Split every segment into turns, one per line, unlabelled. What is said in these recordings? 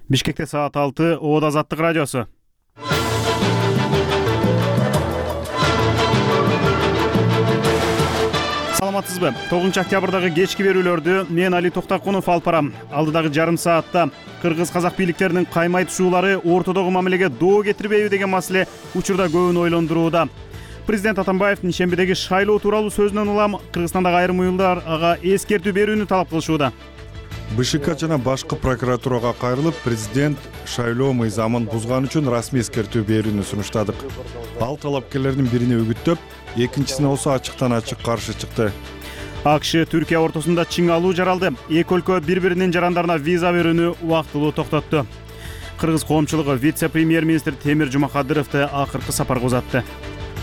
Бишкекте саат 6, Оода Азаттык радиосу. Саламатсызбы? 9 октябрдагы кечки берүүлөрдү мен Али Токтакунов алып барам. Алдыдагы жарым саатта кыргыз-казак бийликтеринин каймай түшүүлары ортодогу мамилеге доо кетирбейби деген маселе учурда көбүн ойлондурууда. Президент Атамбаевдин шембидеги шайлоо тууралуу сөзүнөн улам Кыргызстандагы айрым уюлдар ага эскертүү берүүнү талап кылышууда.
БШК жана башкы прокуратурага кайрылып, президент шайлоо мыйзамын бузган үчүн расмий эскертүү берүүнү сунуштадык. Ал талапкерлердин бирине үгүттөп, экинчисине болсо ачыктан ачык каршы чыкты.
АКШ Түркия ортосунда чиң алуу жаралды. Эки өлкө бири-биринин жарандарына виза берүүнү убактылуу токтотту. Кыргыз коомчулугу вице-премьер-министр Темир Жумакадыровду акыркы сапарга узатты.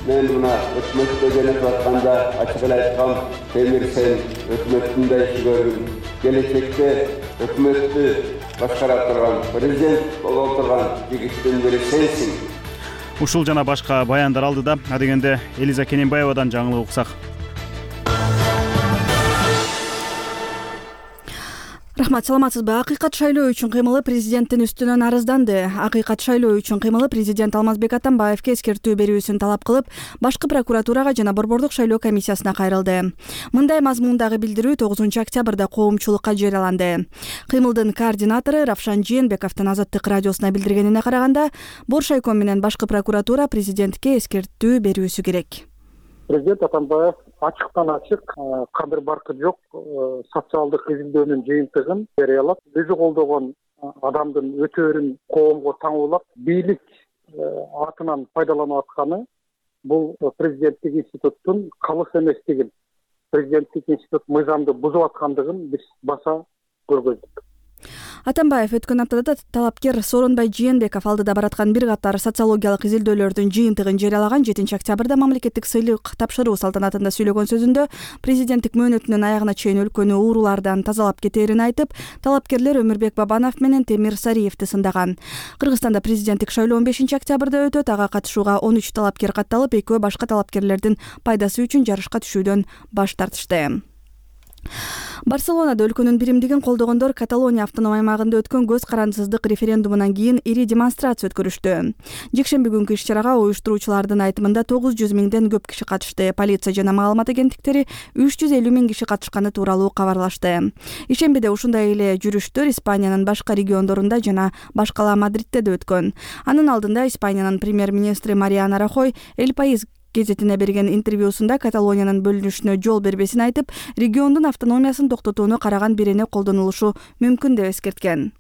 Мен мына өкмөттө келип атканда ачык эле айткам, Темир сен өкмөттүн да иши көрдүң. Келечекте өкмөттү башкара турган, президент боло турган жигиттин бири сенсиң.
Ушул жана башка баяндар алдыда, адегенде Элиза Кененбаевадан жаңылык уксак.
Рахмат, саламатсызбы? Акыйкат шайлоо үчүн кыймылы президенттин үстүнөн арызданды. Акыйкат шайлоо үчүн кыймылы президент Алмазбек Атамбаевге эскертүү берүүсүн талап кылып, башкы прокуратурага жана Борбордук шайлоо комиссиясына кайрылды. Мындай мазмундагы билдирүү 9 октябрда коомчулукка жарыяланды. Кыймылдын координатору Равшан Жээнбековдун Азаттык радиосуна билдиргенине караганда, Боршайком менен башкы прокуратура президентке эскертүү берүүсү керек.
Президент Атамбаев ачыктан ачык, кадыр баркы жок социалдык изилдөөнүн жыйынтыгын жарыялап, өзү колдогон адамдын өтөөрүн коомго таңуулап, бийлик атынан пайдаланып атканы бул президенттик институттун калыс эместигин, президенттик институт мыйзамды бузуп аткандыгын биз баса көргөздүк.
Атамбаев өткөн аптада талапкер Сооронбай Жээнбеков алдыда бараткан бир катар социологиялык изилдөөлөрдүн жыйынтыгын жарыялаган 7 октябрда мамлекеттик сыйлык тапшыруу салтанатында сүйлөгөн сөзүндө президенттик мөөнөтүнүн аягына чейин өлкөнү уурулардан тазалап кетээрин айтып, талапкерлер Өмүрбек Бабанов менен Темир Сариевди сындаган. Кыргызстанда президенттик шайлоо 5 октябрда өтөт. Ага катышууга 13 талапкер катталып, экөө башка талапкерлердин пайдасы үчүн жарышка түшүүдөн баш тартышты. Барселонада өлкөнүн биримдигин колдогондор Каталония автоном аймагында өткөн көз карандысыздык референдумунан кийин ири демонстрация өткөрүштү. Жекшемби күнкү иш-чарага уюштуруучулардын айтымында 900 миңден көп киши катышты. Полиция жана маалымат агенттиктери 350 миң киши катышканы тууралуу кабарлашты. Ишембиде ушундай эле жүрүштөр Испаниянын башка региондорунда жана башкала Мадридте да өткөн. Анын алдында Испаниянын премьер-министри Мариано Рахой El País гезетине берген интервьюсунда Каталониянын бөлүнүшүнө жол бербесин айтып, региондун автономиясын токтотууну караган бирене колдонулушу мүмкүн деп эскерткен.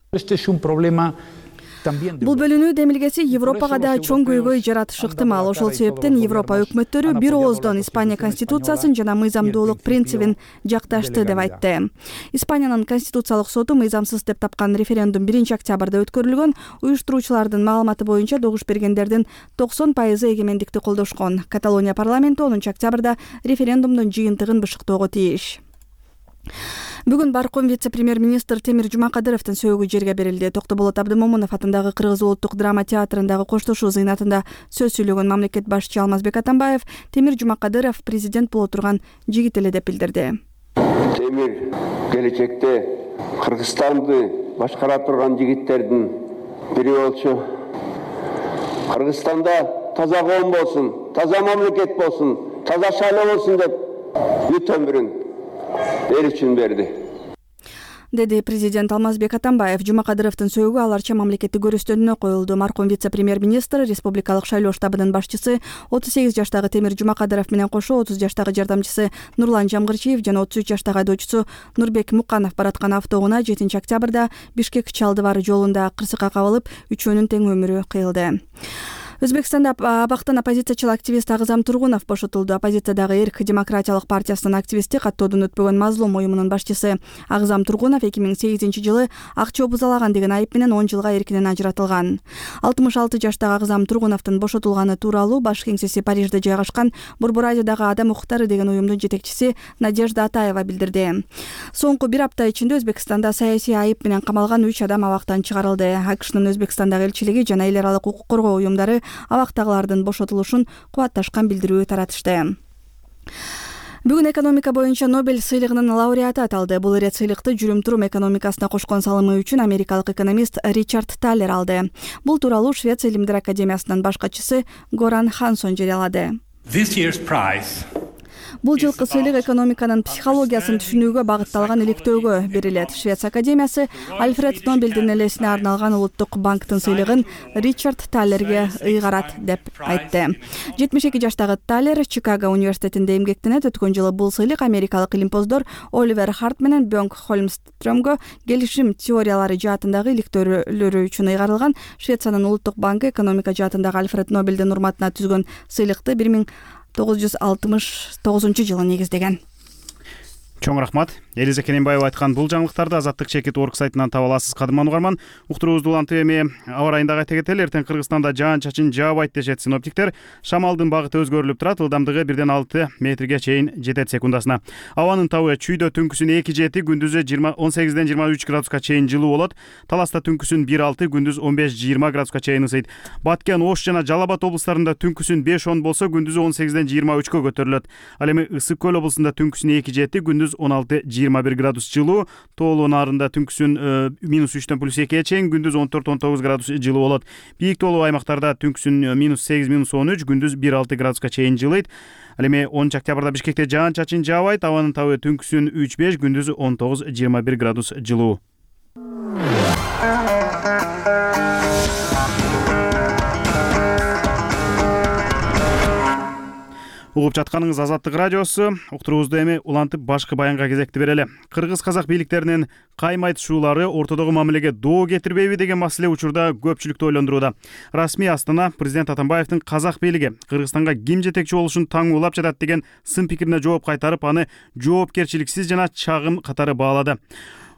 Бул бөлүнүү демилгеси Европага да чоң көйгөй жаратышы ыктымал. Ошол себептен Европа өкмөттөрү бир ооздон Испания конституциясын жана мыйзамдуулук принцибин жакташты деп айтты. Испаниянын конституциялык соту мыйзамсыз деп тапкан референдум 1 октябрда өткөрүлгөн. Уюштуруучулардын маалыматы боюнча добуш бергендердин 90% эгемендикти колдошкон. Каталония парламенти 10 октябрда референдумдун жыйынтыгын бышыктоого тийиш. Бүгүн Барком вице-премьер-министр Темир Жумакадыровдун сөөгү жерге берилди. Токтоболот Абдымомунов атындагы Кыргыз улуттук драма театрындагы коштошуу зыйнатында сөз сүйлөгөн мамлекет башчысы Алмазбек Атамбаев Темир Жумакадыров президент боло турган жигит эле деп билдирди.
Темир келечекте Кыргызстанды башкара турган жигиттердин бири болчу. Кыргызстанда таза коом болсун, таза мамлекет болсун, таза шайлоо болсун деп бүт өмүрүн эл үчүн берди,
деди президент Алмазбек Атамбаев. Жумакадыровдун сөөгү аларча мамлекеттик көрүстөнүнө коюлду. Марком вице-премьер-министр, республикалык шайлоо штабынын башчысы 38 жаштагы Темир Жумакадыров менен кошо 30 жаштагы жардамчысы Нурлан Жамгырчиев жана 33 жаштагы айдоочусу Нурбек Муканов бараткан автоунаа 7 октябрда Бишкек-Чалдыбар жолунда кырсыкка кабылып, үчөөнүн тең өмүрү кыйылды. Өзбекстанда абактан оппозициячыл активист Агзам Тургунов бошотулду. Оппозициядагы Эрк демократиялык партиясынын активисти, каттоодон өтпөгөн Мазлум уюмунун башчысы Агзам Тургунов 2008-жылы акча бузалаган деген айып менен 10 жылга эркинен ажыратылган. 66 жаштагы Агзам Тургуновдун бошотулганы тууралуу баш кеңсеси Парижде жайгашкан Борборадиодагы Адам укуктары деген уюмдун жетекчиси Надежда Атаева билдирди. Соңку бир апта ичинде Өзбекстанда саясий айып менен камалган 3 адам абактан чыгарылды. АКШнын Өзбекстандагы элчилиги жана эл аралык укук коргоо уюмдары абактагылардын бошотулушун кубатташкан билдирүү таратышты. Бүгүн экономика боюнча Нобель сыйлыгынын лауреаты аталды. Бул ирет сыйлыкты жүрүм-турум экономикасына кошкон салымы үчүн америкалык экономист Ричард Таллер алды. Бул тууралуу Швеция илимдер академиясынын баш катчысы Горан Хансон жарыялады. Бул жылкы сыйлык экономиканын психологиясын түшүнүүгө багытталган иликтөөгө берилет. Швеция академиясы Альфред Нобелдин элесине арналган улуттук банктын сыйлыгын Ричард Таллерге ыйгарат деп айтты. 72 жаштагы Таллер Чикаго университетинде эмгектенет. Өткөн жылы бул сыйлык америкалык илимпоздор Оливер Харт менен Бёнг Холмстрёмгө келишим теориялары жаатындагы иликтөөлөрү үчүн ыйгарылган. Швециянын улуттук банкы экономика жаатындагы Альфред Нобелдин урматына түзгөн сыйлыкты 1969 жылы негиздеген.
Чоң рахмат. Элиза Кененбаева айткан бул жаңылыктарды Азаттык чекит орг сайтынан таба аласыз. Кадырман угарман, уктуруубузду улантып эми аба райындагы айта кетели. Эртең Кыргызстанда жаан-чачын жаабайт дешет синоптиктер. Шамалдын багыты өзгөрүлүп турат. Ылдамдыгы 1-6 метрге чейин жетет секундасына. Абанын табы чүйдө түнкүсүн 2-7, күндүзү 18-23 градуска чейин жылуу болот. Таласта түнкүсүн 1-6, күндүз 15-20 градуска чейин ысыйт. Баткен, Ош жана Жалал Абад облустарында түнкүсүн 5-10 болсо, күндүзү 18-23 көтөрүлөт. Ал эми Ысык көл облусунда түнкүсүн 2-7, күндүз 16-21 градус жылуу. Тоолуу нарында түнкүсүн -3-төн +2 чейин, күндүз 14-19 градус жылуу болот. Бийик тоолуу аймактарда түнкүсүн -8-13, күндүз 1-6 градуска чейин жылыйт. Ал эми 10 октябрда Бишкекте жаан-чачын жаабайт. Абанын табы түнкүсүн 3-5, күндүз 19-21 градус жылуу. Угуп жатканыңыз Азаттык радиосу. Уктуруубузду эми улантып башкы баянга кезекти берели. Кыргыз-казак бийликтеринин кайма-айтышуулары ортодогу мамилеге доо кетирбейби деген маселе учурда көпчүлүктү ойлондурууда. Расмий Астана президент Атамбаевдин казак бийлиги Кыргызстанга ким жетекчи болушун таңуулап жатат деген сын пикирине жооп кайтарып, аны жоопкерчиликсиз жана чагым катары баалады.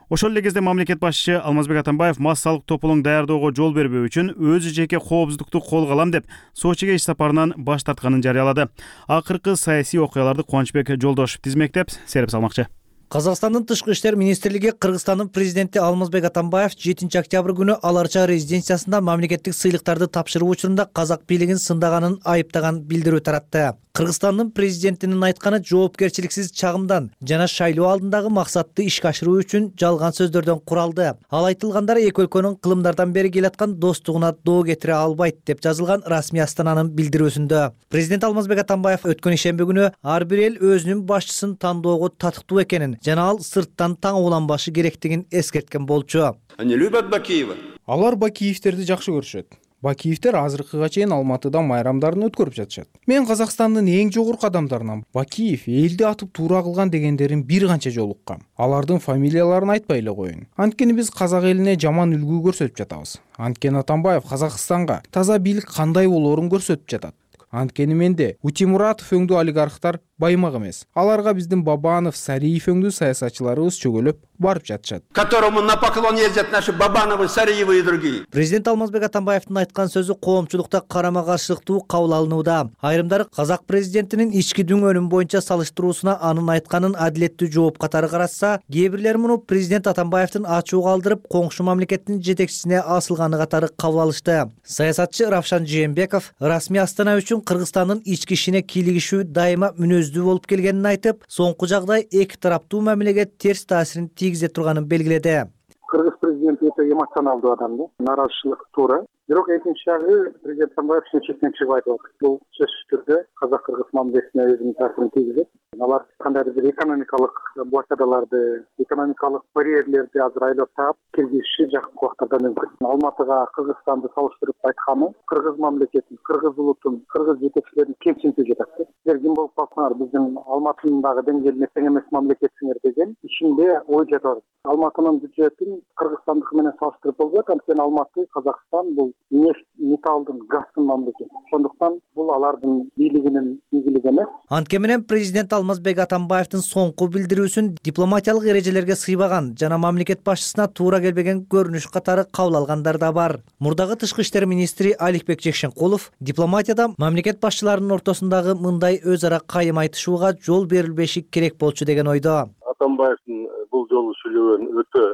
Ошол эле кезде мамлекет башчысы Алмазбек Атамбаев массалык тополоң даярдоого жол бербөө үчүн өзү жеке коопсуздукту колго алам деп Сочиге иш сапарынан баш тартканын жарыялады. Акыркы саясий окуяларды Кубанычбек Жолдошев тизмектеп серип салмакчы.
Казакстандын тышкы иштер министрлиги Кыргызстандын президенти Алмазбек Атамбаев 7 октябрь күнү Аларча резиденциясында мамлекеттик сыйлыктарды тапшыруу учурунда казак бийлигин сындаганын айыптаган билдирүү таратты. Кыргызстандын президентинин айтканы жоопкерчиликсиз чагымдан жана шайлоо алдындагы максатты ишке ашыруу үчүн жалган сөздөрдөн куралды. Ал айтылгандар эки өлкөнүн кылымдардан бери келаткан достугуна доо кетире албайт деп жазылган Расмий Астананын билдирүүсүндө. Президент Алмазбек Атамбаев өткөн ишемби күнү ар бир эл өзүнүн башчысын тандоого татыктуу экенин жана ал сырттан таңууланбашы керектигин эскерткен болчу.
Они любят Бакиева.
Алар Бакиевтерди жакшы көрүшөт. Бакиевтер азыркыга чейин Алматыда майрамдарын өткөрүп жатышат. Мен Казакстандын эң жогорку адамдарынан Бакиев элди атып туура кылган дегендерин бир канча жолу уккам. Алардын фамилияларын айтпай эле коеюн. Анткени биз казак элине жаман үлгү көрсөтүп жатабыз. Анткени Атамбаев Казакстанга таза бийлик кандай болоорун көрсөтүп жатат. Анткени менде Утимуратов өңдүү олигархтар баймак эмес. Аларга биздин Бабанов, Сариев өңдүү саясатчыларыбыз чөгөлөп барып жатышат.
Которому на поклон ездят наши Бабановы, Сариевы и другие.
Президент Алмазбек Атамбаевдин айткан сөзү коомчулукта карама-каршылыктуу кабыл алынууда. Айрымдары казак президентинин ички дүңөнүн боюнча салыштыруусуна анын айтканын адилеттүү жооп катары карашса, кээ бирлер муну президент Атамбаевдин ачуу калтырып, коңшу мамлекеттин жетекчисине асылганы катары кабыл алышты. Саясатчы Равшан Жээнбеков Расмий Астана үчүн Кыргызстандын ички ишине кийлигишүү дайыма мүнөздүү болуп келгенин айтып, соңку жагдай эки тараптуу мамилеге терс таасирин тийгизе турганын белгиледи.
Кыргыз президенти өтө эмоционалдуу адам да. Нааразычылык туура. Бирок экинчи жагы президент Атамбаев чечектен чыгып айтып атат. Бул сөзсүз түрдө казак-кыргыз мамилесине өзүнүн таасирин тийгизет. Алар кандайдыр бир экономикалык блокадаларды, экономикалык барьерлерди азыр айлап таап киргизиши жакынкы убактарда мүмкүн. Алматыга Кыргызстанды салыштырып айтканы кыргыз мамлекетин, кыргыз улутун, кыргыз жетекчилерин кемсинтип жатат. Силер ким болуп калсаңар биздин Алматынын дагы деңгээлине тең эмес мамлекетсиңер деген ичинде ой жатат. Алматынын бюджетин Кыргызстандыкы менен салыштырып болбойт, анткени Алматы, Казакстан бул нефть, металлдын, газдын мамлекети. Сондуктан бул алардын бийлигинин ийгилиги эмес.
Анткени менен президент Алмазбек Атамбаевдин соңку билдирүүсүн дипломатиялык эрежелерге сыйбаган жана мамлекет башчысына туура келбеген көрүнүш катары кабыл алгандар да бар. Мурдагы тышкы иштер министри Аликбек Жекшенкулов мамлекетияда мамлекет башчыларынын ортосундагы мындай өз ара кайым айтышууга жол берилбеши керек болчу деген ойдо.
Атамбаевдин бул жолу сүйлөгөнү өтө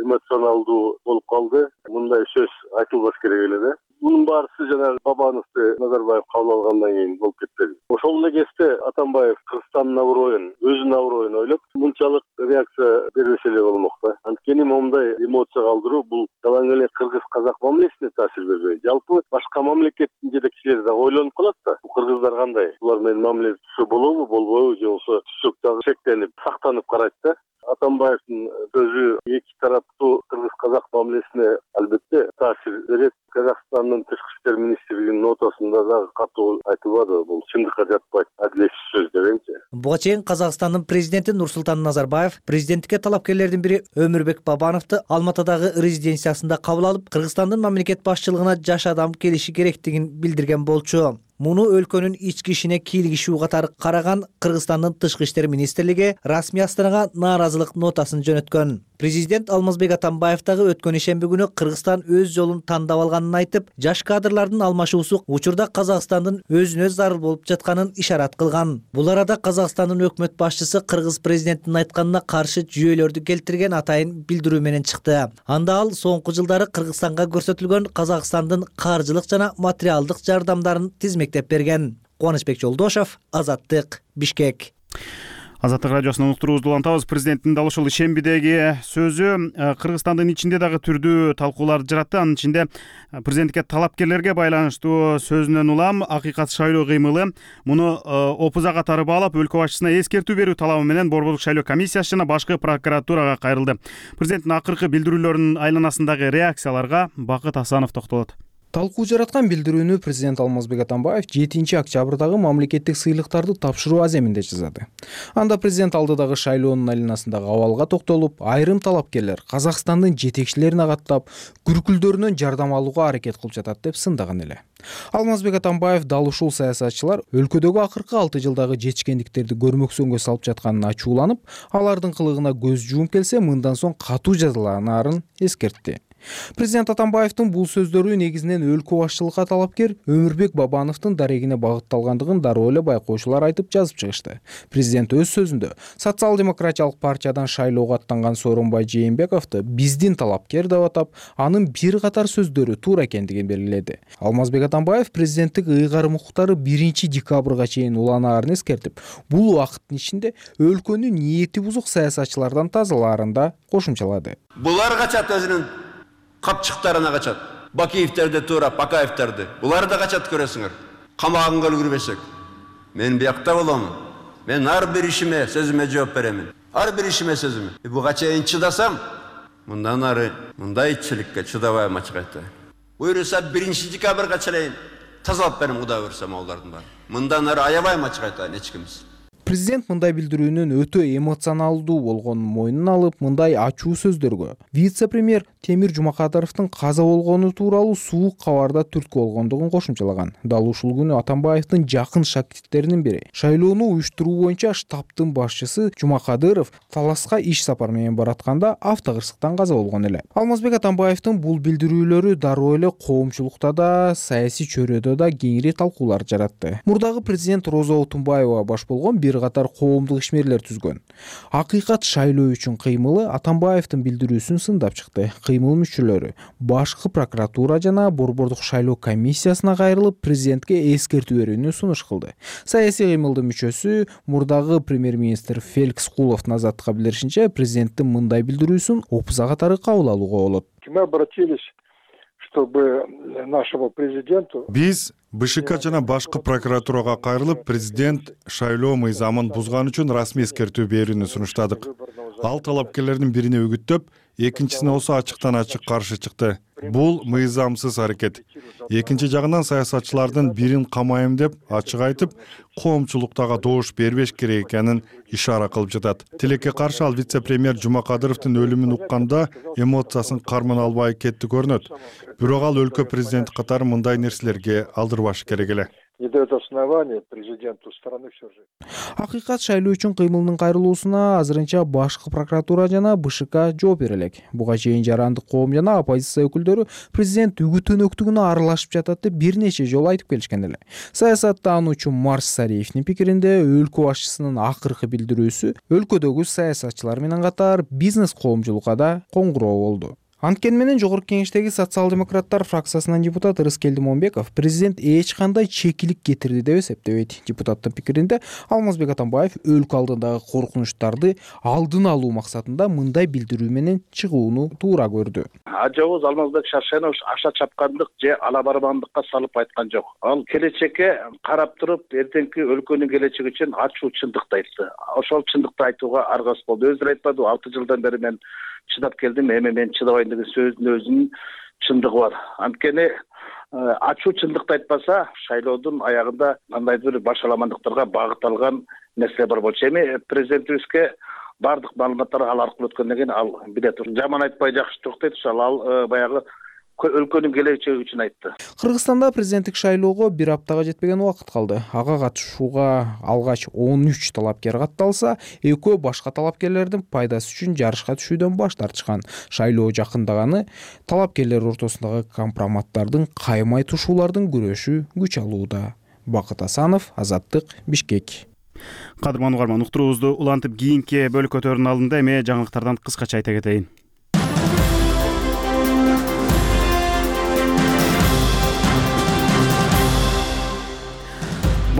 эмоционалдуу болуп калды. Мындай сөз айтылбаш керек эле да. Bunun barысы жана Бабановду Назарбаев кабыл алгандан кийин болуп кетти. Ошол эле кезде Атамбаев Кыргызстандын аброюн эмоция калтыруу бул жалаң эле кыргыз-казак мамилесине таасир бербейт. Жалпы башка мамлекеттин жетекчилери дагы ойлонуп калат да. Кыргыздар кандай? Булар менен мамиле түзсө болобу, болбойбу, же болбосо түзсөк дагы шектенип, сактанып карайт да. Атамбаевдин сөзү эки тараптуу кыргыз-казак мамилесине албетте таасир берет. Казакстандын тышкы иштер министрлигинин нотасында дагы катуу айтылбады. Бул чындыкка жатпайт, адилетсиз сөз дегенчи.
Буга чейин Казакстандын президенти Нурсултан Назарбаев президенттикке талапкерлердин бири Өмүрбек Бабановду Алматыдагы резиденциясында кабыл алып, Кыргызстандын мамлекет башчылыгына жаш адам келиши керектигин билдирген болчу. Муну өлкөнүн ички ишине кийлигишүү катары караган Кыргызстандын тышкы иштер министрлиги расмий Астанага нааразылык нотасын жөнөткөн. Президент Алмазбек Атамбаев дагы өткөн ишемби күнү Кыргызстан өз жолун тандап алганын айтып, жаш кадрлардын алмашуусу учурда Казакстандын өзүнө зарыл болуп жатканын ишарат кылган. Бул арада Казакстандын өкмөт башчысы Кыргыз президентинин айтканына каршы жүйөлөрдү келтирген атайын билдирүү менен чыкты. Анда ал соңку жылдары Кыргызстанга көрсөтүлгөн Казакстандын каржылык жана материалдык жардамдарын тизмектеп берген. Кубанычбек Жолдошов, Азаттык, Бишкек.
Азаттык радиосунун уктуруубузду улантабыз. Президенттин дал ушул ишембидеги сөзү Кыргызстандын ичинде дагы түрдүү талкууларды жаратты. Анын ичинде президенттикке талапкерлерге байланыштуу сөзүнөн улам акыйкат шайлоо кыймылы муну опуза катары баалап, өлкө башчысына эскертүү берүү талабы менен Борбордук шайлоо комиссиясы жана башкы прокуратурага кайрылды. Президенттин акыркы билдирүүлөрүнүн айланасындагы реакцияларга Бакыт Асанов токтолот.
Талкуу жараткан билдирүүнү президент Алмазбек Атамбаев 7 октябрдагы мамлекеттик сыйлыктарды тапшыруу аземинде жазды. Анда президент алдыдагы шайлоонун айланасындагы абалга токтолуп, айрым талапкерлер Казакстандын жетекчилерине каттап, күркүлдөрүнөн жардам алууга аракет кылып жатат деп сындаган эле. Алмазбек Атамбаев дал ушул саясатчылар өлкөдөгү акыркы 6 жылдагы жетишкендиктерди көрмөксөнгө салып жатканына ачууланып, алардын кылыгына көз жумуп келсе, мындан соң катуу жазаланарын эскертти. Президент Атамбаевдин бул сөздөрү негизинен өлкө башчылыкка талапкер Өмүрбек Бабановдун дарегине багытталгандыгын дароо эле байкоочулар айтып жазып чыгышты. Президент өз сөзүндө Социал-демократиялык партиядан шайлоого аттанган Сооронбай Жээнбековду биздин талапкер деп атап, анын бир катар сөздөрү туура экендигин белгиледи. Алмазбек Атамбаев президенттик ыйгарым укуктары 1 декабрга чейин уланаарын эскертип, бул убакыттын ичинде өлкөнү ниети бузук саясатчылардан тазалаарын да кошумчалады.
Булар качат өзүнүн капчыктарына качат. Бакиевтерди туура, Бакаевтерди. Булар да качат көрөсүңөр. Камагынга үлгүрбөсөк. Мен биякта боломун. Мен ар бир ишиме, сөзүмө жооп беремин. Ар бир ишиме сөзүмө. Буга чейин чыдасам, мындан ары мындай итчиликке чыдабайм ачык айтты. Буюрса 1 декабрга чейин тазалап берем, Кудай буйрса маалдардын баары. Мындан ары аябайм ачык айтайын эч кимис.
Президент мындай билдирүүнүн өтө эмоционалдуу болгонун мойнуна алып, мындай ачуу сөздөргө вице-премьер Темир Жумакадыровдун каза болгону тууралуу суук кабарда түрткү болгондугун кошумчалаган. Дал ушул күнү Атамбаевдин жакын шакирттеринин бири, шайлоону уюштуруу боюнча штабтын башчысы Жумакадыров Таласка иш сапар менен баратканда автокырсыктан каза болгон эле. Алмазбек Атамбаевдин бул билдирүүлөрү дароо эле коомчулукта да, саясий чөйрөдө да кеңири талкуулар жаратты. Мурдагы президент Роза Отунбаева баш болгон бир катар коомдук ишмерлер түзгөн. Акыйкат шайлоо үчүн кыймылы Атамбаевдин билдирүүсүн сындап чыкты. Кыймыл мүчөлөрү башкы прокуратура жана Борбордук шайлоо комиссиясына кайрылып, президентке эскертүү берүүнү сунуш кылды. Саясий кыймылдын мүчөсү мурдагы премьер-министр Феликс Куловдун Азаттыкка билдиришинче, президенттин мындай билдирүүсүн опуза катары кабыл алууга болот.
Мы обратились, чтобы нашего президенту
Биз БШК жана башкы прокуратурага кайрылып, президент шайлоо мыйзамын бузган үчүн расмий эскертүү берүүнү сунуштадык. Ал талапкерлердин бирине үгүттөп, экинчисине болсо ачыктан ачык каршы чыкты. Бул мыйзамсыз аракет. Экинчи жагынан саясатчылардын бирин камайм деп ачык айтып, коомчулуктага добуш бербеш керек экенин ишара кылып жатат. Тилекке каршы ал вице-премьер Жумакадыровдун өлүмүн укканда эмоциясын карман албай кетти көрүнөт. Бирок ал өлкө президенти катары мындай нерселерге алдырбаш керек эле.
Не дает основания президенту страны все же.
Акыйкат шайлоо үчүн кыймылдын кайрылуусуна азырынча башкы прокуратура жана БШК жооп бере элек. Буга чейин жарандык коом жана оппозиция өкүлдөрү президент үгүт-өнөктүгүнө аралашып жатат деп бир нече жолу айтып келишкен эле. Саясаттануучу Марс Сариевдин пикиринде, өлкө башчысынын акыркы билдирүүсү өлкөдөгү саясатчылар менен катар бизнес коомчулукка да коңгуроо болду. Анткени менен жогорку кеңештеги социал-демократтар фракциясынын депутаты Рыскелди Момбеков президент эч кандай чекилик кетирди деп эсептебейт. Депутаттын пикиринде Алмазбек Атамбаев өлкө алдындагы коркунучтарды алдын алуу максатында мындай билдирүү менен чыгууну туура көрдү.
Ажабыз Алмазбек Шаршенович аша чапкандык же ала барбандыкка салып айткан жок. Ал келечекке карап туруп, эртеңки өлкөнүн келечеги үчүн ачуу чындыкты айтты. Ошол чындыкты айтууга аргасыз болду. Өзү айтпады, 6 жылдан бери мен чыдап келдим, эми мен чыдабайм деген сөзүнүн өзүнүн чындыгы бар. Анткени ачуу чындыкты айтпаса, шайлоодун аягында кандайдыр башаламандыктарга багыт алган нерсе бар болчу. Эми президентибизге бардык маалыматтар ал аркылуу өткөндөн кийин ал билет. Жаман айтпай жакшы жок дейт, ал баягы өлкөнүн келечеги үчүн айтты.
Кыргызстанда президенттик шайлоого 1 аптага жетпеген убакыт калды. Ага катышууга алгач 13 талапкер катталса, экөө башка талапкерлердин пайдасы үчүн жарышка түшүүдөн баш тартышкан. Шайлоо жакындаганы талапкерлер ортосундагы компроматтардын каймай тушуулардын күрөшү күч алууда. Бакыт Асанов, Азаттык, Бишкек.
Кадырман угарман, уктуруубузду улантып кийинки бөлүккө өтөрүнүн алдында эми жаңылыктардан кыскача айта кетейин.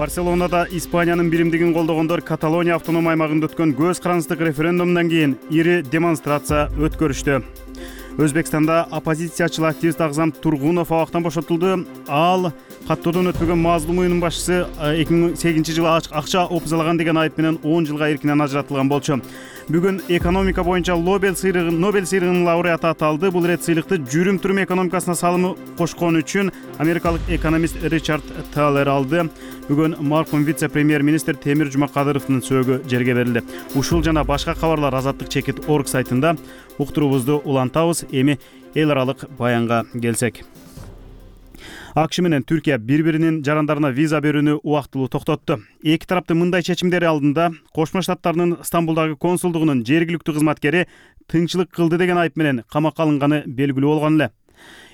Барселонада Испаниянын биримдигин колдогондор Каталония автоном аймагында өткөн көз карандык референдумдан кийин ири демонстрация өткөрүштү. Өзбекстанда оппозициячыл активист Агзам Тургунов абактан бошотулду. Ал каттоодон өтпөгөн мазлум уюмдун башчысы 2008-жылы акча опузалаган деген айып менен 10 жылга эркинен ажыратылган болчу. Бүгүн экономика боюнча Нобель сыйлыгынын лауреаты аталды. Бул ирет сыйлыкты жүрүм-турум экономикасына салымы кошкон үчүн америкалык экономист Ричард Таллер алды. Бүгүн маркум вице-премьер-министр Темир Жумакадыровдун сөөгү жерге берилди. Ушул жана башка кабарлар Азаттык чекит орг сайтында. Уктуруубузду улантабыз. Эми эл аралык баянга келсек. АКШ менен Түркия бири-биринин жарандарына виза берүүнү убактылуу токтотту. Эки тараптын мындай чечимдери алдында Кошмо Штаттарынын Стамбулдагы консулдугунун жергиликтүү кызматкери тыңчылык кылды деген айып менен камакка алынганы белгилүү болгон эле.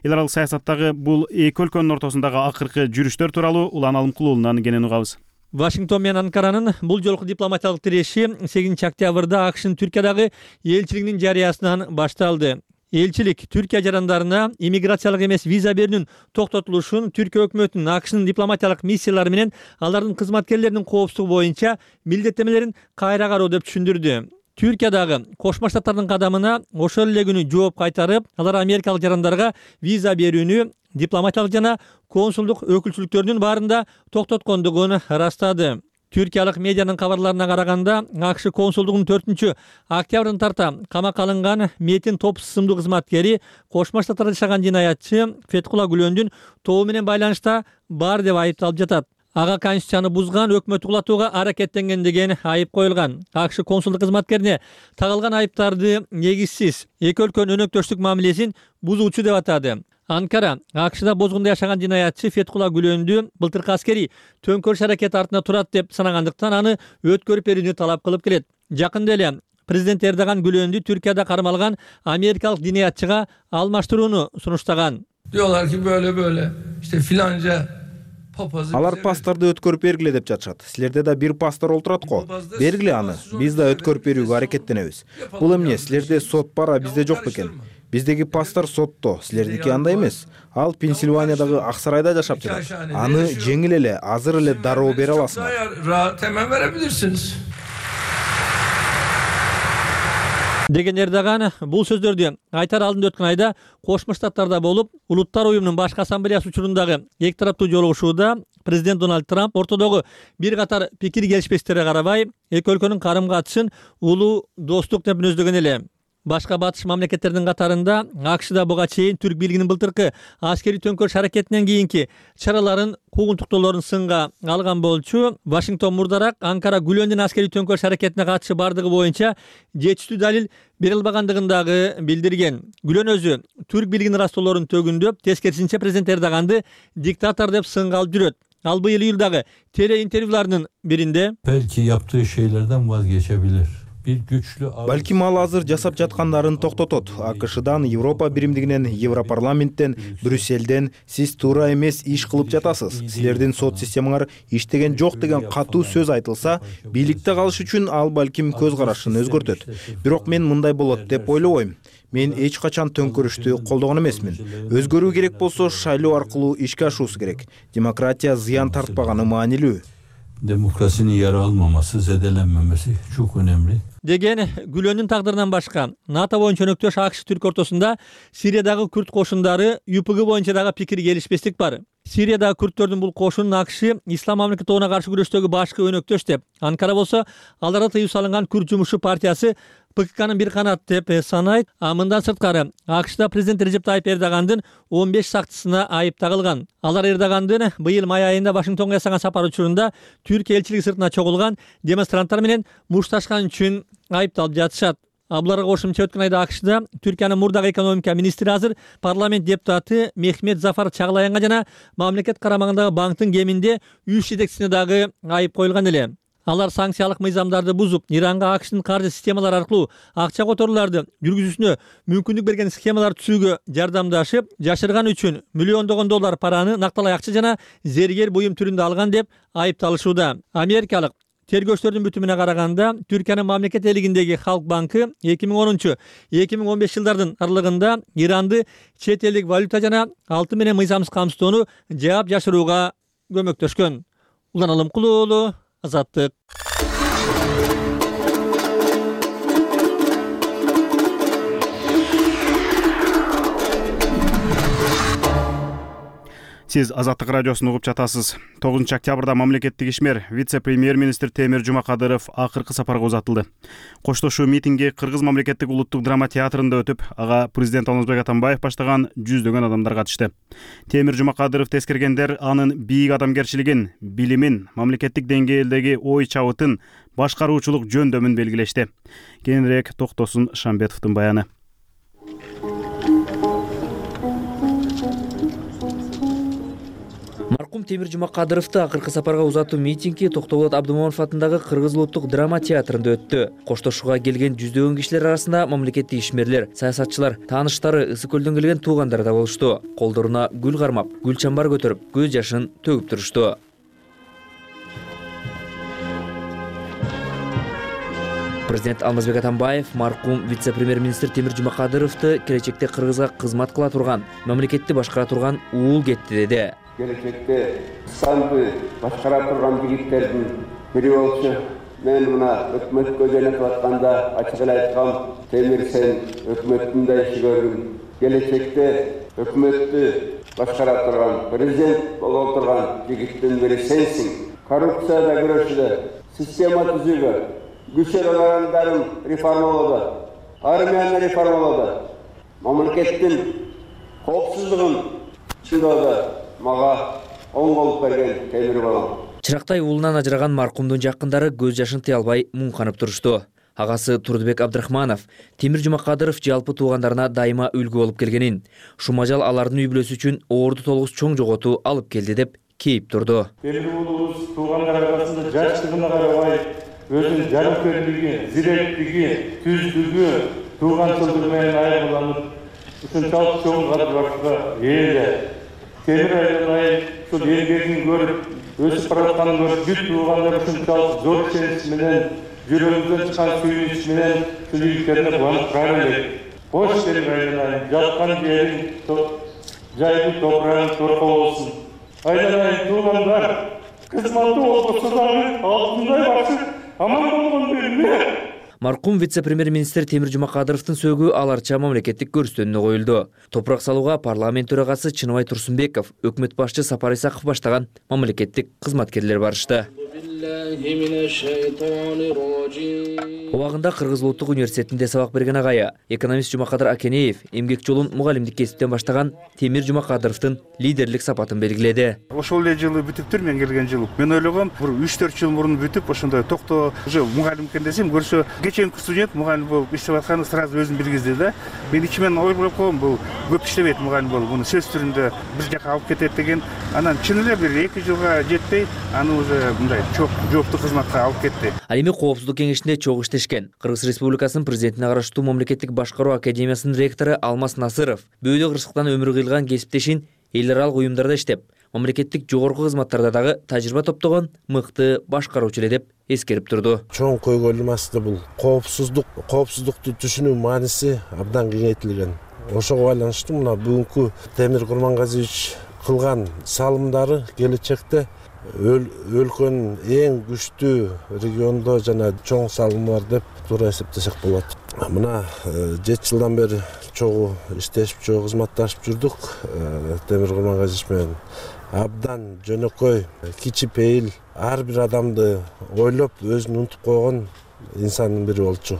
Эл аралык саясаттагы бул эки өлкөнүн ортосундагы акыркы жүрүштөр тууралуу Улан Алымкулуулунан кенен угабыз.
Вашингтон менен Анкаранын бул жолку дипломатиялык тиреши 8 октябрда АКШнын Түркиядагы элчилигинин жарыясынан башталды. Элчилик Түркия жарандарына иммиграциялык эмес виза берүүнүн токтотулушун Түркия өкмөтүнүн АКШнын дипломатиялык миссиялары менен алардын кызматкерлеринин коопсуздугу боюнча милдеттенмелерин кайра кароо деп түшүндүрдү. Түркиядагы Кошмо Штаттардын кадамына ошол эле күнү жооп кайтарып, алар америкалык жарандарга виза берүүнү дипломатиялык жана консулдук өкүлчүлүктөрүнүн баарында токтоткондугун ырастады. Түркиялык медианын кабарларына караганда, АКШ консулдугунун 4 октябрдан тарта камакка алынган Метин топ сымдуу кызматкери Кошмо Штаттарда жашаган жинаятчы Феткула Гүлөндүн тобу менен байланышта бар деп айыпталып жатат. Ага конституцияны бузган, өкмөттү кулатууга аракеттенген деген айып коюлган. АКШ консулдук кызматкерине тагылган айыптарды негизсиз, эки өлкөнүн өнөктөштүк мамилесин бузуучу деп атады. Анкара АКШда бозгунда жашаган жинаятчы Феткула Гүлөндү былтыркы аскери төңкөрүш аракети артында турат деп санагандыктан аны өткөрүп берүүнү талап кылып келет. Жакында эле президент Эрдоган Гүлөндү Түркияда кармалган америкалык жинаятчыга алмаштырууну сунуштаган.
Diyorlar ki böyle işte filanca
Алар пасторду өткөрүп бергиле деп жатышат. Силерде да бир пастор олтурат го. Бергиле аны. Биз да өткөрүп берүүгө аракеттенебиз. Бул эмне? Силерде сот бар, бизде жок бекен. Биздеги пастор сотто, силердики андай эмес. Ал Пенсильваниядагы ак сарайда жашап жатат. Аны жеңил эле, азыр эле дароо бере аласыңар.
Hemen verebilirsiniz.
Деген Эрдоган бул сөздөрдү айтар алдында өткөн айда Кошмо Штаттарда болуп, Улуттар уюмунун башкы ассамблеясы учурундагы эки тараптуу жолугушууда президент Дональд Трамп ортодогу бир катар пикир келишпестиктерге карабай, эки өлкөнүн карым-катышын улуу достук деп мүнөздөгөн эле. Башка батыш мамлекеттердин катарында АКШда буга чейин түрк бийлигинин былтыркы аскерий төңкөрүш аракетинен кийинки чараларын куугунтуктоолорун сынга алган болчу. Вашингтон мурдараак Анкара Гүлөндүн аскерий төңкөрүш аракетине катышы бардыгы боюнча жетиштүү далил бере албагандыгын дагы билдирген. Гүлөн өзү түрк бийлигинин растоолорун төгүндөп, тескерисинче президент Эрдоганды диктатор деп сынга алып жүрөт. Ал быйыл июлдагы теле интервьюларынын биринде
belki yaptığı şeylerden vazgeçebilir.
Балким ал азыр жасап жаткандарын токтотот. АКШдан, Европа биримдигинен, Европарламенттен, Брюсселден сиз туура эмес иш кылып жатасыз. Силердин сот системаңар иштеген жок деген катуу сөз айтылса, бийликте калыш үчүн ал балким көз карашын өзгөртөт. Бирок мен мындай болот деп ойлобойм. мен эч качан төңкөрүштү колдогон эмесмин. Өзгөрүү керек болсо шайлоо аркылуу ишке ашуусу керек. Демократия зыян тартпаганы маанилүү.
Demokrasinin yara almaması, zedelenmemesi çok önemli.
Деген Гүлөндүн тагдырынан башка НАТО боюнча өнөктөш АКШ Түрк ортосунда Сириядагы күрд кошундары ЮПГ боюнча дагы пикир келишпестик бар. Сириядагы күрдтөрдүн бул кошунун АКШ Ислам мамлекети тобуна каршы күрөштөгү башкы өнөктөш деп, Анкара болсо аларга тыюу салынган Күрд жумушчу партиясы ПККнын бир канат деп санайт. Мындан сырткары АКШда президент Режеп Тайып Эрдогандын 15 сакчысына айып тагылган. Алар Эрдогандын быйыл май айында Вашингтонго жасаган сапар учурунда Түркия элчилиги сыртына чогулган демонстранттар менен мушташкан үчүн айыпталып жатышат. Буларга кошумча өткөн айда АКШда Түркиянын мурдагы экономика министри азыр парламент депутаты Мехмет Зафар Чаглаянга жана мамлекет карамагындагы банктын кеминде 3 жетекчисине дагы айып коюлган эле. Алар санкциялык мыйзамдарды бузуп, Иранга АКШдын каржы системалары аркылуу акча которууларды жүргүзүүсүнө мүмкүндүк берген схемалар түзүүгө жардамдашып, жашырган үчүн миллиондогон доллар параны накталай акча жана зергер буюм түрүндө алган деп айыпталышууда. Америкалык тергөөчтөрдүн бүтүмүнө караганда, Түркиянын мамлекет элигиндеги Халк банкы 2010-2015 жылдардын аралыгында Иранды чет элдик валюта жана алтын менен мыйзамсыз камсыздоону жаап жашырууга көмөктөшкөн. Улан Алымкулуу уулу, Азаттык.
Сиз Азаттык радиосун угуп жатасыз. 9 октябрда мамлекеттик ишмер вице-премьер-министр Темир Жумакадыров акыркы сапарга узатылды. Коштошуу митинги Кыргыз мамлекеттик улуттук драма театрында өтүп, ага президент Алмазбек Атамбаев баштаган жүздөгөн адамдар катышты. Темир Жумакадыров тескергендер анын бийик адамгерчилигин, билимин, мамлекеттик деңгээлдеги ой чабытын, башкаруучулук жөндөмүн белгилешти. Кийинирээк Токтосун Шамбетовдун баяны.
Маркум Темир Жумакадыровду акыркы сапарга узатуу митинги Токтоболот Абдымомунов атындагы Кыргыз улуттук драма театрында өттү. Коштошууга келген жүздөгөн кишилер арасында мамлекеттик ишмерлер, саясатчылар, тааныштары, Ысык көлдөн келген туугандары да болушту. Колдоруна гүл кармап, гүл чамбар көтөрүп, көз жашын төгүп турушту. Президент Алмазбек Атамбаев маркум вице-премьер-министр Темир Жумакадыровду келечекте Кыргызга кызмат кыла турган, мамлекетти башкара турган уул кетти деди.
Келечекте Кыргызстанды башкара турган жигиттердин бири болчу. Мен мына өкмөткө жөнөтүп атканда ачык эле айткам, Темир сен өкмөттүн да иши көрдүң. Келечекте өкмөттү башкара турган, президент боло турган жигиттин бири сенсиң. Коррупцияда күрөшүүдө, система түзүүгө, күч орандарын реформалоодо, армияны реформалоодо, мамлекеттин коопсуздугун чындоодо мага оң болуп берген Темир балам.
Чырактай уулунан ажыраган маркумдун жакындары көз жашын тыя албай муңканып турушту. Агасы Турдубек Абдрахманов Темир Жумакадыров жалпы туугандарына дайыма үлгү болуп келгенин, шумажал алардын үй бүлөсү үчүн оорду толугус чоң жоготуу алып келди деп кейип турду.
Темир уулубуз туугандар арасында жаштыгына карабай өзүнүн жарымкерлиги, зиректиги, түздүгү, тууганчылдыгы менен айырмаланып, ушунчалык чоң кадырларга ээ. Темир айланай ушул эргегин көрүп, өсүп баратканын көрүп, бүт туугандар ушунчалык зор ишенич менен, жүрөгүнөн чыккан сүйүнүч менен ушул ийгиликтерине кубанып турар элек. Кош Темир айланай, жаткан жериң, жайдуу топурагың торко болсун. Айланай туугандар, кызматы болбосо дагы алтындай башып, аман болгон белме.
Маркум вице-премьер-министр Темир Жумакадыровдун сөөгү аларча мамлекеттик көрүстөнүнө коюлду. Топурак салууга парламент төрагасы Чыныбай Турсунбеков, өкмөт башчы Сапар Исаков баштаган мамлекеттик кызматкерлер барышты. Убагында Кыргыз улуттук университетинде сабак берген агайы, экономист Жумакадыр Акенеев эмгек жолун мугалимдик кесиптен баштаган Темир Жумакадыровдун лидерлик сапатын белгиледи.
Ошол эле жылы бүтүптүр мен келген жылы. Мен ойлогом, бир 3-4 жыл мурун бүтүп, ошондой токто уже мугалим экен десем, көрсө кеченки студент мугалим болуп иштеп атканы сразу өзүн билгизди да. Мен ичимен ойлоп койгом, бул көп иштебейт мугалим болуп, муну сөз түрүндө бир жака алып кетет деген. Анан чын эле бир 2 жылга жетпей, аны уже мындай жооптуу кызматка алып кетти.
Ал эми Коопсуздук кеңешинде чогуу иштешкен. Кыргыз Республикасынын президентине караштуу мамлекеттик башкаруу академиясынын ректору Алмаз Насыров бөөдө кырсыктан өмүрү кыйылган кесиптешин эл аралык уюмдарда иштеп, мамлекеттик жогорку кызматтарда дагы тажрыйба топтогон мыкты башкаруучу эле деп эскерип турду.
Чоң көйгөйлүү маселе бул. Коопсуздукту түшүнүү мааниси абдан кеңейтилген. Ошого байланыштуу мына бүгүнкү Темир Курмангазиевич кылган салымдары келечекте өлкөнүн эң күчтүү региондо жана чоң салымдар деп туура эсептесек болот. Мына 7 жылдан бери чогуу иштешип, чогуу кызматташып жүрдүк Темир Курмангазиевич менен. Абдан жөнөкөй, кичи-пейил, ар бир адамды ойлоп, өзүн унутуп койгон инсандын бири болчу.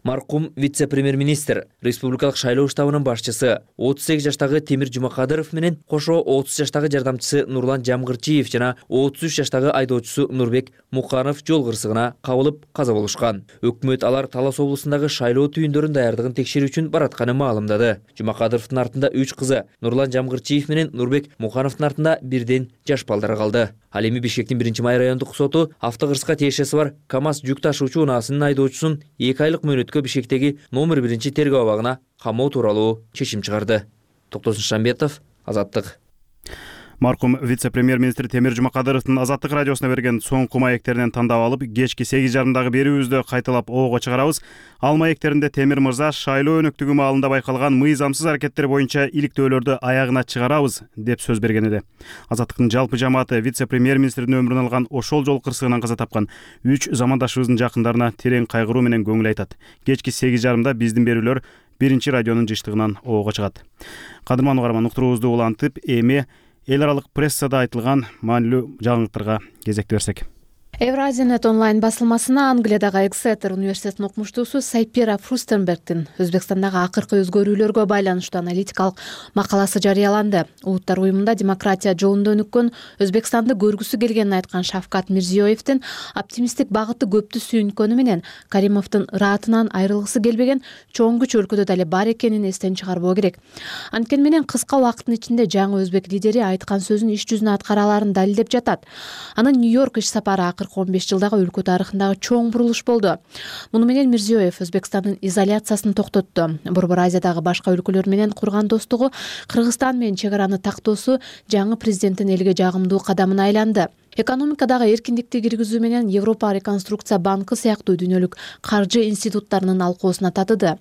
Маркум вице-премьер-министр, республикалык шайлоо штабынын башчысы 38 жаштагы Темир Жумакадыров менен кошо 30 жаштагы жардамчысы Нурлан Жамгырчиев жана 33 жаштагы айдоочусу Нурбек Муканов жол кырсыгына кабылып каза болушкан. Өкмөт алар Талас облусундагы шайлоо түйүндөрүнүн даярдыгын текшерүү үчүн баратканын маалымдады. Жумакадыровдун артында 3 кызы Нурлан Жамгырчиев менен Нурбек Мукановдун артында бирден жаш балдары калды. Ал эми Бишкектин 1-май райондук соту автокырсыкка тиешеси бар КАМАЗ жүк ташуучу унаасынын айдоочусун 2 айлык мөөнөткө Бишкектеги номер 1 тергөө абагына камоо тууралуу чечим чыгарды. Токтосун Шамбетов, Азаттык.
Маркум вице-премьер-министр Темир Жумакадыровдун Азаттык радиосуна берген соңку маектеринен тандап алып, кечки 8:30 берүүбүздө кайталап ого чыгарабыз. Ал маектеринде Темир мырза шайлоо өнөктүгү маалында байкалган мыйзамсыз аракеттер боюнча иликтөөлөрдү аягына чыгарабыз деп сөз берген эди. Азаттыктын жалпы жамааты вице-премьер-министрдин өмүрүн алган ошол жол кырсыгынан каза тапкан 3 замандашыбыздын жакындарына терең кайгыруу менен көңүл айтат. Кечки 8:30 биздин берүүлөр 1 радионун жыштыгынан ого чыгат. Кадырман угарман, уктуруубузду улантып, эми эл аралык прессада айтылган маанилүү жаңылыктарга кезек берсек.
Евразия-нет онлайн басылмасына Англиядагы Эксетер университетинин окумуштуусу Сайпира Фрустенбергдин Өзбекстандагы акыркы өзгөрүүлөргө байланыштуу аналитикалык макаласы жарыяланды. Улуттар уюмунда демократия жолунда өнүккөн Өзбекстанды көргүсү келгенин айткан Шавкат Мирзиёевдин оптимисттик багыты көптү сүйүнкөнү менен Каримовдун ыраатынан айрылгысы келбеген чоң күч өлкөдө дале бар экенин эстен чыгарбоо керек. Анткени менен кыска убакыттын ичинде жаңы өзбек лидери айткан сөзүн иш жүзүнө аткара аларын далилдеп жатат. Анын Нью-Йорк иш сапары 15 жылдагы өлкө тарыхындагы чоң бурулуш болду. Муну менен Мирзиёев Өзбекстандын изоляциясын токтотту. Борбор Азиядагы башка өлкөлөр менен курган достугу Кыргызстан менен чек араны тактоосу жаңы президенттин элге жагымдуу кадамына айланды. Экономикадагы эркиндикти киргизүү менен Европа реконструкция банкы сыяктуу дүйнөлүк каржы институттарынын алкоосуна татыды.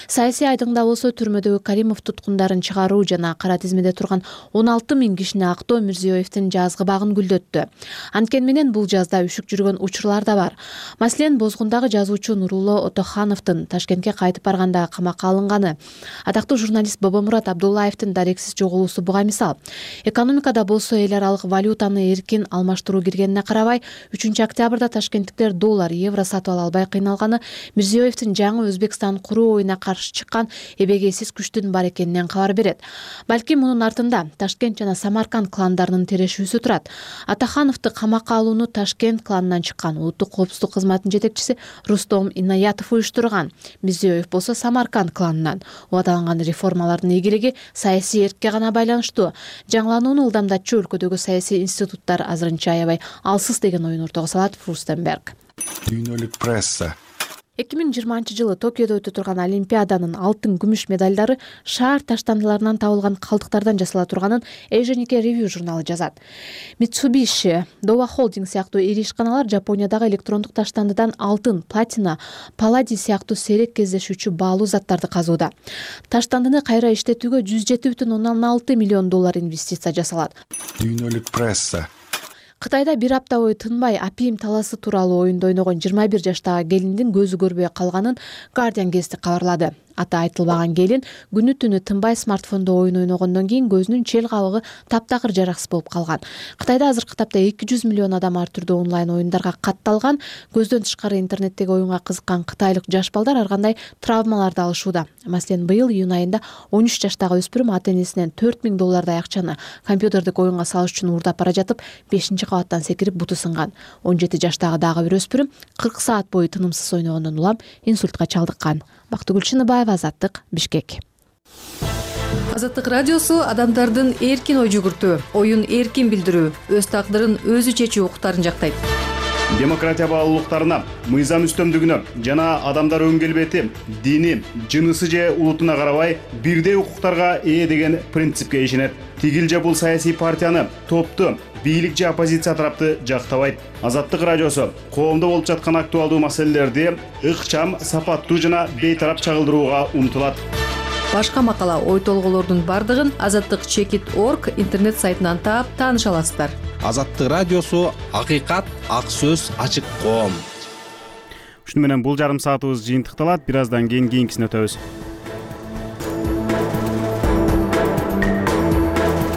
Саясий айдыңда болсо түрмөдөгү Каримов туткундарын чыгаруу жана кара тизмеде турган 16 000 кишини актоо Мирзиёевдин жазгы багын гүлдөттү. Анткени менен бул жазда үшүк жүргөн учурлар да бар. Маселен, Бозгундагы жазуучу Нурулло Отохановдун Ташкентке кайтып барганда камакка алынганы, атактуу журналист Бобомурат Абдуллаевдин дарексиз жоголуусу буга мисал. Экономикада болсо эл аралык валютаны эркин алмаштыруу киргенине карабай, 3-октябрда ташкенттиктер доллар, евро сатып ала албай кыйналганы Мирзиёевдин жаңы Өзбекстан куруу оюна каршы чыккан эбегейсиз күчтүн бар экенинен кабар берет. Балки мунун артында Ташкент жана Самарканд кландарынын тирешүүсү турат. Атахановду камакка алууну Ташкент кланынан чыккан улуттук коопсуздук кызматынын жетекчиси Рустом Инаятов уюштурган. Мирзиёев болсо Самарканд кланынан. Убадаланган реформалардын ийгилиги саясий эркке гана байланыштуу. Жаңыланууну ылдамдатчу өлкөдөгү саясий институттар азырынча аябай алсыз деген оюн ортого салат Фрустенберг.
Дүйнөлүк пресса
2020 Токиодо өтө турган Олимпиаданын алтын, күмүш медалдары шаар таштандыларынан табылган калдыктардан жасала турганын Asian Nikkei Review журналы жазат. Mitsubishi, Dowa Holding сыяктуу ири ишканалар Жапониядагы электрондук таштандыдан алтын, платина, палладий сыяктуу сейрек кездешүүчү баалуу заттарды казууда. Таштандыны кайра иштетүүгө 107,6 миллион доллар инвестиция жасалат.
Дүйнөлүк пресса
Кытайда бир апта бою тынбай апиим таласы тууралуу оюнду ойногон 21 жаштагы келиндин көзү көрбөй калганын Guardian гезити кабарлады. Аты айтылбаган келин күнү түнү тынбай смартфондо оюн ойногондон кийин көзүнүн чел кабыгы таптакыр жараксыз болуп калган. Кытайда азыркы тапта 200 миллион адам ар түрдүү онлайн оюндарга катталган. Көздөн тышкары интернеттеги оюнга кызыккан кытайлык жаш балдар ар кандай травмаларды алышууда. Маселен, быйыл июнь айында 13 жаштагы өспүрүм ата-энесинен 4000 доллардай акчаны компьютердик оюнга салыш үчүн уурдап бара жатып 5-кабаттан секирип буту сынган. 17 жаштагы дагы бир өспүрүм 40 саат бою тынымсыз ойногондон улам инсультка чалдыккан. Бактыгүл Чыныбаева, Азаттык, Бишкек.
Азаттык радиосу адамдардын эркин ой жүгүртүү, оюн эркин билдирүү, өз тагдырын өзү чечүү укуктарын жактайт.
демократия баалуулуктарына, мыйзам үстөмдүгүнө жана адамдар өң келбети, дини, жынысы же улутуна карабай бирдей укуктарга ээ деген принципке ишенет. Тигил же бул саясий партияны, топту, бийлик же оппозиция тарапты жактабайт. Азаттык радиосу коомдо болуп жаткан актуалдуу маселелерди ыкчам, сапаттуу жана бейтарап чагылдырууга умтулат.
Башка макала, ой толгоолордун бардыгын azatdыкчекит.org интернет сайтынан таап тааныша аласыздар.
Азаттык радиосу акыйкат, ак сөз, ачык коом.
Ушуну менен бул жарым саатыбыз жыйынтыкталат. Бир аздан кийин кийинкисине өтөбүз.